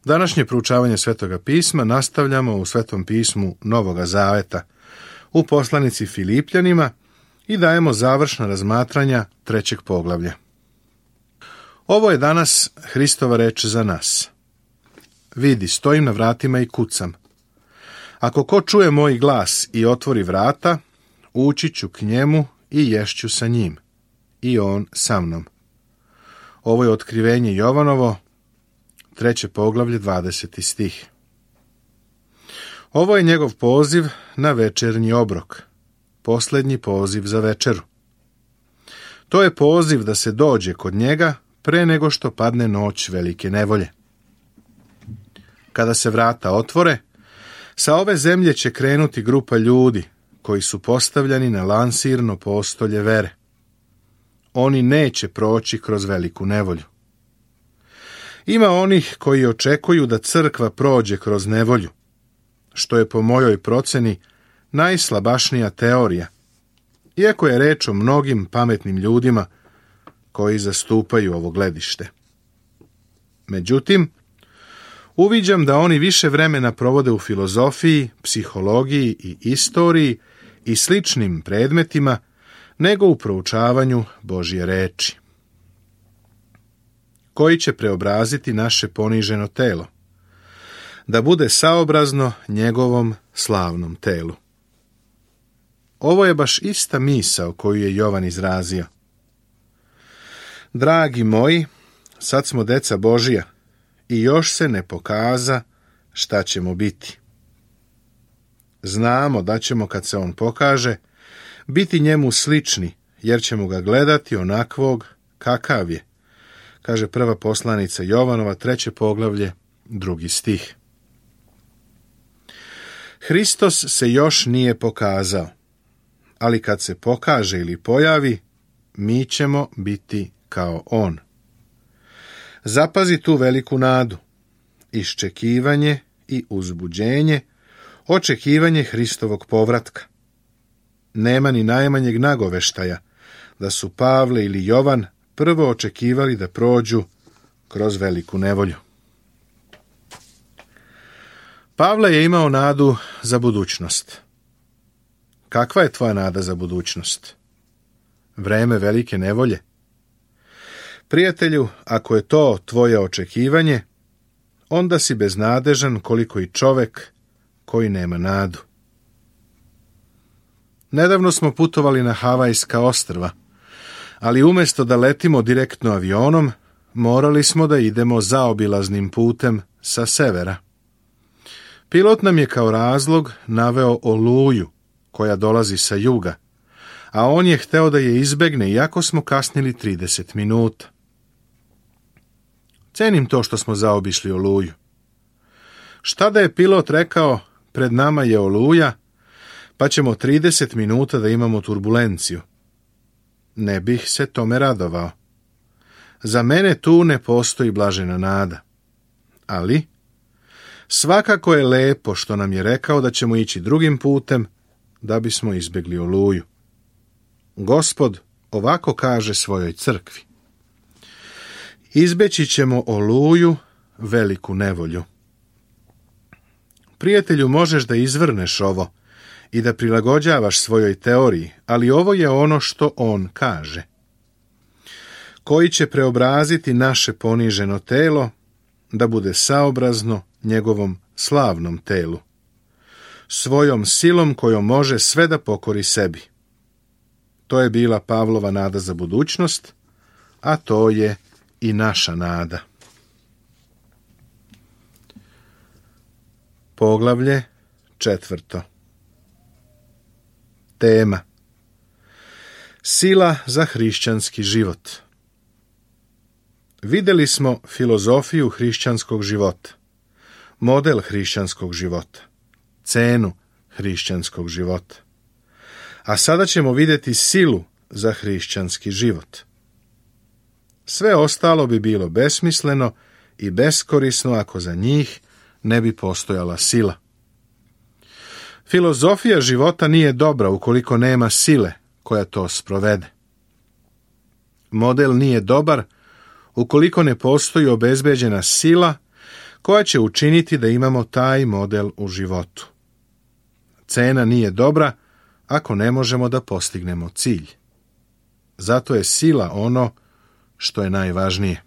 Današnje proučavanje Svetoga pisma nastavljamo u Svetom pismu Novoga Zaveta, u poslanici Filipljanima i dajemo završna razmatranja 3. poglavlja. Ovo je danas Hristova reč za nas. Vidi, stojim na vratima i kucam. Ako ko čuje moj glas i otvori vrata, ući ću k njemu i ješću sa njim, i on sa mnom. Ovo je otkrivenje Jovanovo, 3. poglavlje, 20. stih. Ovo je njegov poziv na večernji obrok, posljednji poziv za večeru. To je poziv da se dođe kod njega pre nego što padne noć velike nevolje. Kada se vrata otvore, sa ove zemlje će krenuti grupa ljudi koji su postavljani na lansirno postolje vere. Oni neće proći kroz veliku nevolju. Ima onih koji očekuju da crkva prođe kroz nevolju, što je po mojoj proceni najslabašnija teorija, iako je reč o mnogim pametnim ljudima koji zastupaju ovo gledište. Međutim, uviđam da oni više vremena provode u filozofiji, psihologiji i istoriji i sličnim predmetima nego u proučavanju Božje reči. Koji će preobraziti naše poniženo telo, da bude saobrazno njegovom slavnom telu. Ovo je baš ista misao koju je Jovan izrazio. Dragi moji, sad smo deca Božija i još se ne pokaza šta ćemo biti. Znamo da ćemo, kad se on pokaže, biti njemu slični, jer ćemo ga gledati onakvog kakav je, kaže prva poslanica Jovanova, 3. poglavlje, 2. stih. Hristos se još nije pokazao, ali kad se pokaže ili pojavi, mi ćemo biti kao on. Zapazi tu veliku nadu, iščekivanje i uzbuđenje, očekivanje Hristovog povratka. Nema ni najmanjeg nagoveštaja da su Pavle ili Jovan prvo očekivali da prođu kroz veliku nevolju. Pavle je imao nadu za budućnost. Kakva je tvoja nada za budućnost? Vreme velike nevolje? Prijatelju, ako je to tvoje očekivanje, onda si beznadežan koliko i čovek koji nema nadu. Nedavno smo putovali na Havajska ostrva, ali umjesto da letimo direktno avionom, morali smo da idemo zaobilaznim putem sa severa. Pilot nam je kao razlog naveo oluju koja dolazi sa juga, a on je hteo da je izbegne iako smo kasnili 30 minuta. Cenim to što smo zaobišli oluju. Šta da je pilot rekao, pred nama je oluja, pa ćemo 30 minuta da imamo turbulenciju? Ne bih se tome radovao. Za mene tu ne postoji blažena nada. Ali svakako je lepo što nam je rekao da ćemo ići drugim putem da bismo izbjegli oluju. Gospod ovako kaže svojoj crkvi. Izbeći ćemo oluju, veliku nevolju. Prijatelju, možeš da izvrneš ovo i da prilagođavaš svojoj teoriji, ali ovo je ono što on kaže. Koji će preobraziti naše poniženo telo da bude saobrazno njegovom slavnom telu, svojom silom kojom može sve da pokori sebi. To je bila Pavlova nada za budućnost, a to je i naša nada. Poglavlje 4. Tema: Sila za hrišćanski život. Vidjeli smo filozofiju hrišćanskog života, model hrišćanskog života, cenu hrišćanskog života. A sada ćemo vidjeti silu za hrišćanski život. Sve ostalo bi bilo besmisleno i beskorisno ako za njih ne bi postojala sila. Filozofija života nije dobra ukoliko nema sile koja to sprovede. Model nije dobar ukoliko ne postoji obezbeđena sila koja će učiniti da imamo taj model u životu. Cena nije dobra ako ne možemo da postignemo cilj. Zato je sila ono što je najvažnije.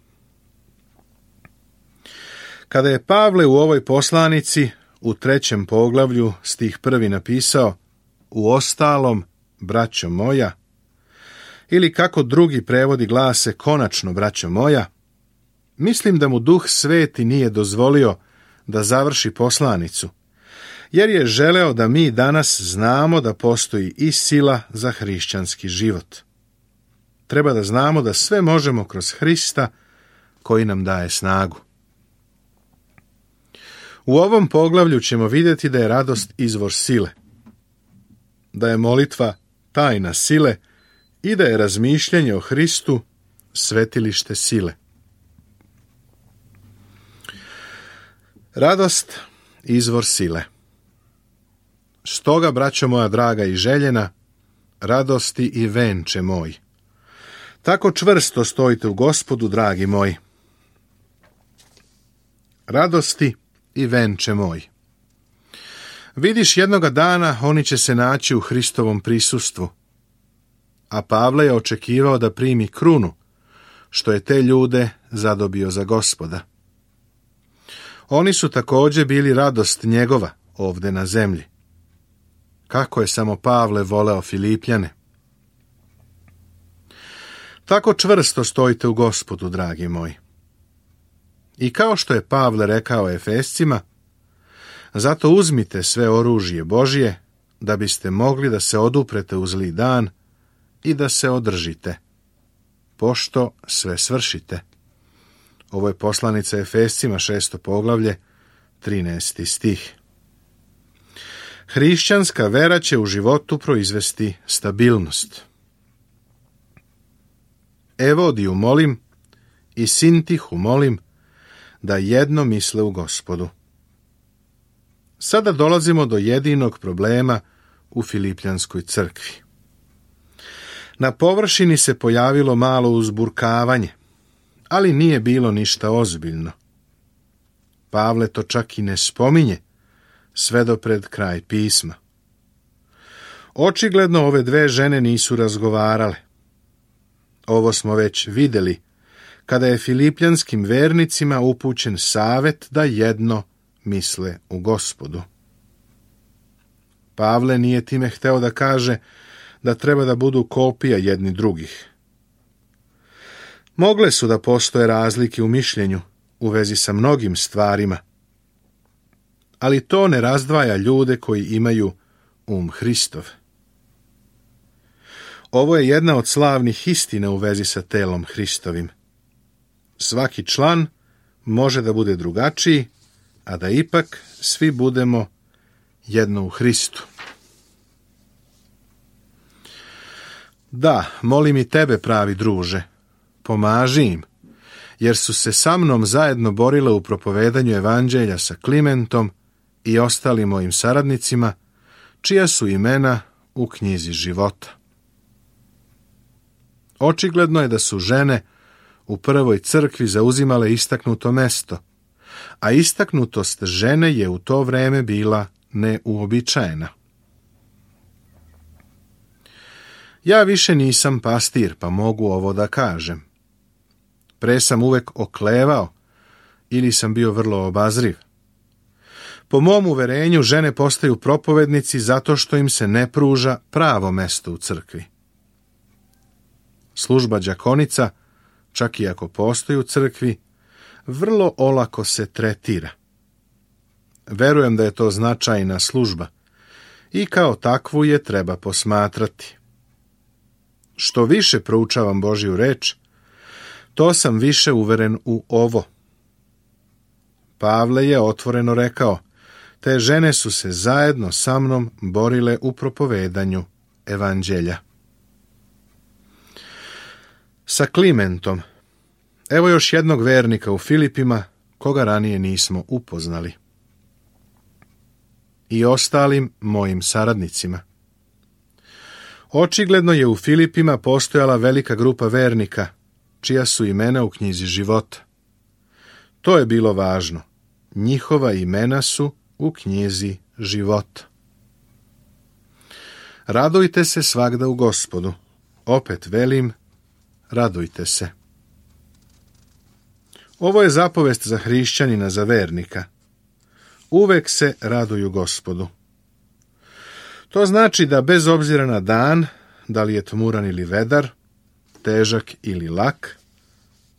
Kada je Pavle u ovoj poslanici u 3. poglavlju stih 1. napisao uostalom, braćo moja, ili kako drugi prevodi glase konačno, braćo moja, mislim da mu Duh Sveti nije dozvolio da završi poslanicu, jer je želeo da mi danas znamo da postoji i sila za hrišćanski život. Treba da znamo da sve možemo kroz Hrista koji nam daje snagu. U ovom poglavlju ćemo vidjeti da je radost izvor sile, da je molitva tajna sile i da je razmišljanje o Hristu svetilište sile. Radost izvor sile. Stoga, braćo moja draga i željena, radosti i venče moj. Tako čvrsto stojite u Gospodu, dragi moji. Radosti i venče moj. Vidiš, jednoga dana oni će se naći u Hristovom prisustvu, a Pavle je očekivao da primi krunu, što je te ljude zadobio za Gospoda. Oni su također bili radost njegova ovdje na zemlji. Kako je samo Pavle voleo Filipljane. Tako čvrsto stojite u Gospodu, dragi moji. I kao što je Pavle rekao Efescima, zato uzmite sve oružje Božje, da biste mogli da se oduprete u zli dan i da se održite, pošto sve svršite. Ovo je poslanica Efescima 6. poglavlje, 13. stih. Hrišćanska vera će u životu proizvesti stabilnost. Evodiju molim i Sintihu molim da jedno misle u Gospodu. Sada dolazimo do jedinog problema u Filipljanskoj crkvi. Na površini se pojavilo malo uzburkavanje, ali nije bilo ništa ozbiljno. Pavle to čak i ne spominje, sve do pred kraj pisma. Očigledno ove dve žene nisu razgovarale. Ovo smo već vidjeli, kada je filipljanskim vernicima upućen savjet da jedno misle u Gospodu. Pavle nije time hteo da kaže da treba da budu kopija jedni drugih. Mogle su da postoje razlike u mišljenju u vezi sa mnogim stvarima, ali to ne razdvaja ljude koji imaju Hristov. Ovo je jedna od slavnih istina u vezi sa telom Hristovim. Svaki član može da bude drugačiji, a da ipak svi budemo jedno u Hristu. Da, molim i tebe, pravi druže, pomaži im, jer su se sa mnom zajedno borile u propovedanju evanđelja sa Klimentom i ostalim mojim saradnicima, čija su imena u knjizi života. Očigledno je da su žene u prvoj crkvi zauzimale istaknuto mesto, a istaknutost žene je u to vreme bila neuobičajena. Ja više nisam pastir, pa mogu ovo da kažem. Pre sam uvek oklevao ili sam bio vrlo obazriv. Po mom uverenju, žene postaju propovednici zato što im se ne pruža pravo mesto u crkvi. Služba đakonica, čak i ako postoji u crkvi, vrlo olako se tretira. Verujem da je to značajna služba i kao takvu je treba posmatrati. Što više proučavam Božju reč, to sam više uveren u ovo. Pavle je otvoreno rekao, te žene su se zajedno sa mnom borile u propovedanju evanđelja. Sa Klimentom. Evo još jednog vernika u Filipima, koga ranije nismo upoznali. I ostalim mojim saradnicima. Očigledno je u Filipima postojala velika grupa vernika, čija su imena u knjizi života. To je bilo važno, njihova imena su u knjizi života. Radujte se svagda u Gospodu. Opet velim, radujte se. Ovo je zapovest za hrišćanina, za vernika. Uvek se raduju Gospodu. To znači da bez obzira na dan, da li je tmuran ili vedar, težak ili lak,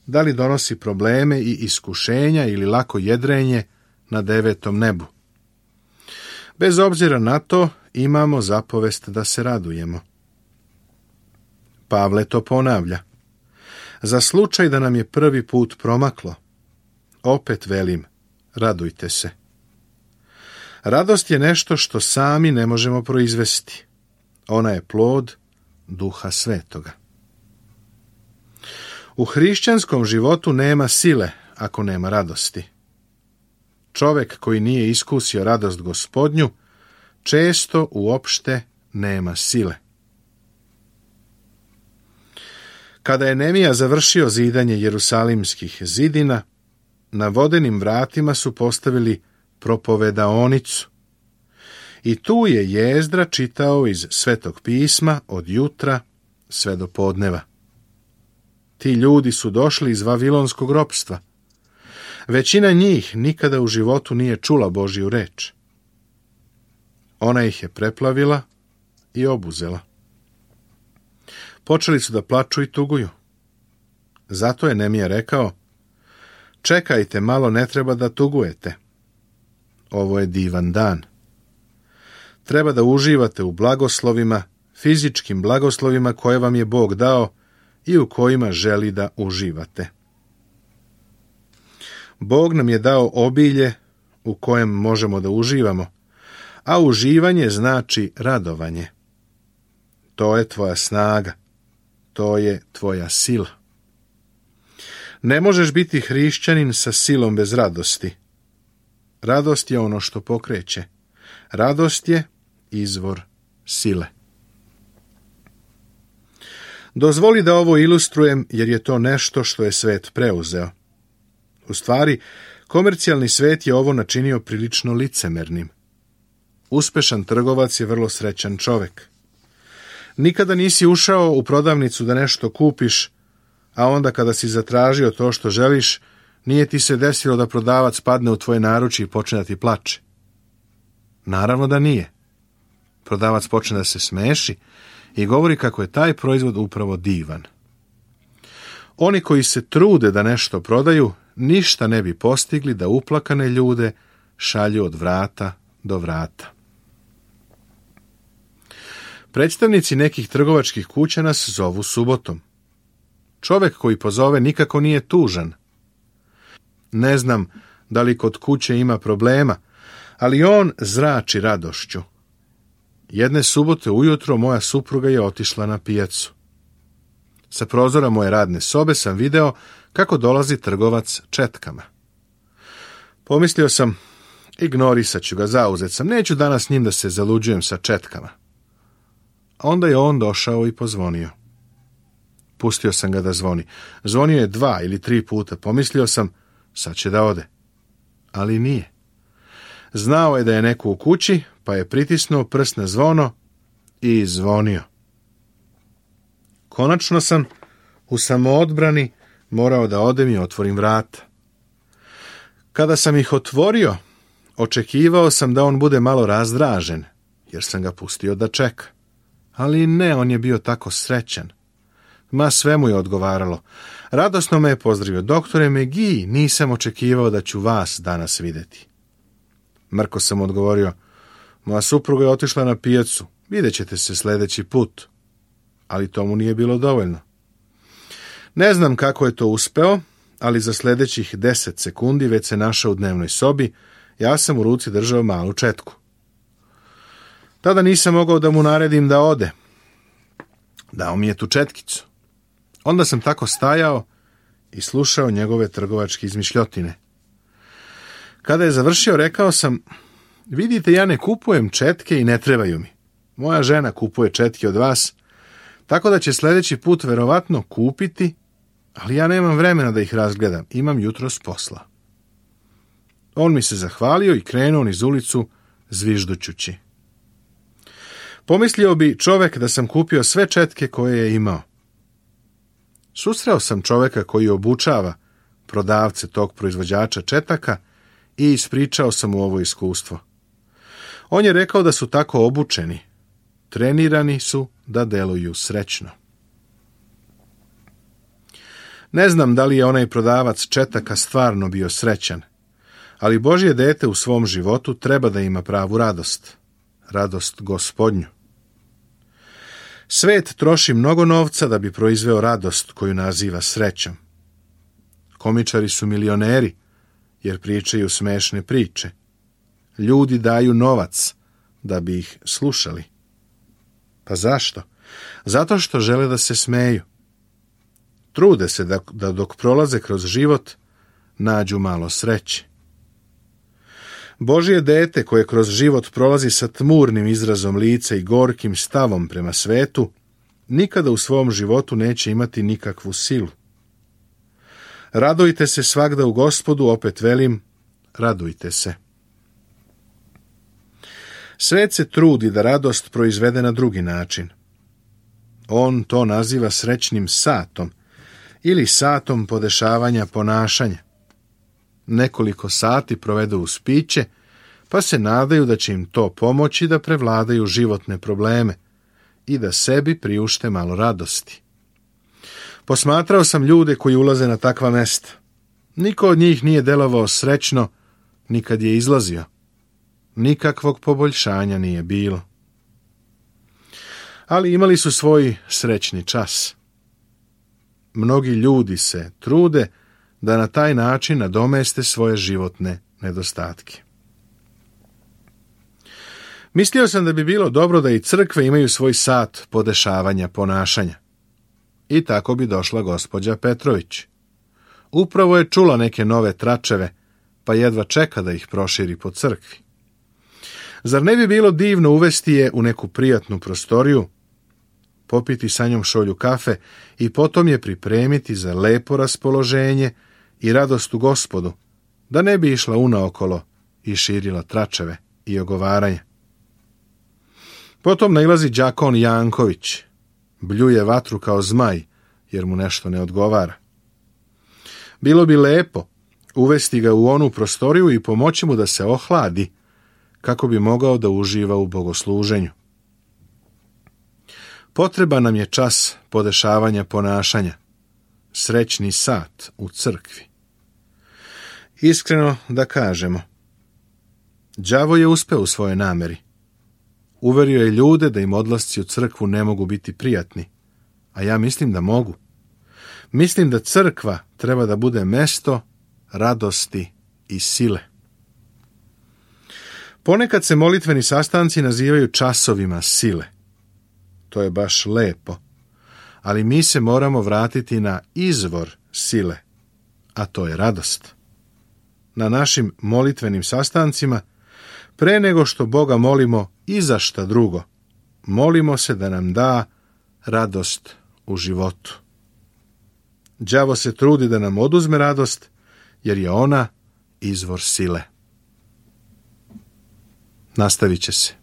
da li donosi probleme i iskušenja ili lako jedrenje na 9. nebu. Bez obzira na to, imamo zapovest da se radujemo. Pavle to ponavlja. Za slučaj da nam je prvi put promaklo, opet velim, radujte se. Radost je nešto što sami ne možemo proizvesti. Ona je plod Duha Svetoga. U hrišćanskom životu nema sile ako nema radosti. Čovjek koji nije iskusio radost Gospodnju često uopšte nema sile. Kada je Nemija završio zidanje jerusalimskih zidina, na vodenim vratima su postavili propovedaonicu. I tu je Jezdra čitao iz Svetog pisma od jutra sve do podneva. Ti ljudi su došli iz vavilonskog ropstva. Većina njih nikada u životu nije čula Božju reč. Ona ih je preplavila i obuzela. Počeli su da plaču i tuguju. Zato je Nemija rekao, čekajte malo, ne treba da tugujete. Ovo je divan dan. Treba da uživate u blagoslovima, fizičkim blagoslovima koje vam je Bog dao i u kojima želi da uživate. Bog nam je dao obilje u kojem možemo da uživamo, a uživanje znači radovanje. To je tvoja snaga, to je tvoja sila. Ne možeš biti hrišćanin sa silom bez radosti. Radost je ono što pokreće. Radost je izvor sile. Dozvoli da ovo ilustrujem jer je to nešto što je svet preuzeo. U stvari, komercijalni svet je ovo načinio prilično licemernim. Uspešan trgovac je vrlo srećan čovek. Nikada nisi ušao u prodavnicu da nešto kupiš, a onda kada si zatražio to što želiš, nije ti se desilo da prodavac padne u tvoje naručje i počne da ti plače. Naravno da nije. Prodavac počne da se smeši i govori kako je taj proizvod upravo divan. Oni koji se trude da nešto prodaju, ništa ne bi postigli da uplakane ljude šalju od vrata do vrata. Predstavnici nekih trgovačkih kuća nas zovu subotom. Čovek koji pozove nikako nije tužan. Ne znam da li kod kuće ima problema, ali on zrači radošću. Jedne subote ujutro moja supruga je otišla na pijacu. Sa prozora moje radne sobe sam video kako dolazi trgovac četkama. Pomislio sam, ignorisat ću ga, zauzet sam, neću danas s njim da se zaluđujem sa četkama. Onda je on došao i pozvonio. Pustio sam ga da zvoni. Zvonio je 2 ili 3 puta. Pomislio sam, sad će da ode. Ali nije. Znao je da je neko u kući, pa je pritisnuo prst na zvono i zvonio. Konačno sam u samoodbrani morao da odem i otvorim vrata. Kada sam ih otvorio, očekivao sam da on bude malo razdražen, jer sam ga pustio da čeka. Ali ne, on je bio tako srećan. Ma sve mu je odgovaralo. Radosno me je pozdravio. Doktore Megi, nisam očekivao da ću vas danas videti. Mrko sam odgovorio, moja supruga je otišla na pijacu, vidjet ćete se sljedeći put. Ali to mu nije bilo dovoljno. Ne znam kako je to uspeo, ali za sljedećih 10 sekundi već se našao u dnevnoj sobi, ja sam u ruci držao malu četku. Tada nisam mogao da mu naredim da ode. Dao mi je tu četkicu. Onda sam tako stajao i slušao njegove trgovačke izmišljotine. Kada je završio, rekao sam, vidite, ja ne kupujem četke i ne trebaju mi. Moja žena kupuje četke od vas, tako da će sljedeći put verovatno kupiti, ali ja nemam vremena da ih razgledam, imam jutros posla. On mi se zahvalio i krenuo niz ulicu zviždućući. Pomislio bi čovjek da sam kupio sve četke koje je imao. Susreo sam čovjeka koji obučava prodavce tog proizvođača četaka i ispričao sam mu ovo iskustvo. On je rekao da su tako obučeni, trenirani su da deluju srećno. Ne znam da li je onaj prodavac četaka stvarno bio srećan, ali Božje dete u svom životu treba da ima pravu radost, radost Gospodnju. Svet troši mnogo novca da bi proizveo radost koju naziva srećom. Komičari su milioneri, jer pričaju smešne priče. Ljudi daju novac da bi ih slušali. Pa zašto? Zato što žele da se smeju. Trude se da dok prolaze kroz život nađu malo sreće. Božje dete koje kroz život prolazi sa tmurnim izrazom lica i gorkim stavom prema svetu, nikada u svom životu neće imati nikakvu silu. Radujte se svagda u Gospodu, opet velim, radujte se. Svet se trudi da radost proizvede na drugi način. On to naziva srećnim satom ili satom podešavanja ponašanja. Nekoliko sati provedu uz piće, pa se nadaju da će im to pomoći da prevladaju životne probleme i da sebi priušte malo radosti. Posmatrao sam ljude koji ulaze na takva mesta. Niko od njih nije delovao srećno ni kad je izlazio. Nikakvog poboljšanja nije bilo. Ali imali su svoj srećni čas. Mnogi ljudi se trude da na taj način nadomeste svoje životne nedostatke. Mislio sam da bi bilo dobro da i crkve imaju svoj sat podešavanja ponašanja. I tako bi došla gospođa Petrović. Upravo je čula neke nove tračeve, pa jedva čeka da ih proširi po crkvi. Zar ne bi bilo divno uvesti je u neku prijatnu prostoriju, popiti sa njom šolju kafe i potom je pripremiti za lepo raspoloženje i radost u Gospodu, da ne bi išla unaokolo i širila tračeve i ogovaranje. Potom nailazi đakon Janković, bljuje vatru kao zmaj, jer mu nešto ne odgovara. Bilo bi lepo uvesti ga u onu prostoriju i pomoći mu da se ohladi, kako bi mogao da uživa u bogosluženju. Potreban nam je čas podešavanja ponašanja, srećni sat u crkvi. Iskreno da kažemo, đavo je uspeo u svojoj nameri. Uverio je ljude da im odlasci u crkvu ne mogu biti prijatni, a ja mislim da mogu. Mislim da crkva treba da bude mesto radosti i sile. Ponekad se molitveni sastanci nazivaju časovima sile. To je baš lepo, ali mi se moramo vratiti na izvor sile, a to je radost. Na našim molitvenim sastancima, pre nego što Boga molimo i za šta drugo, molimo se da nam da radost u životu. Đavo se trudi da nam oduzme radost, jer je ona izvor sile. Nastavit će se.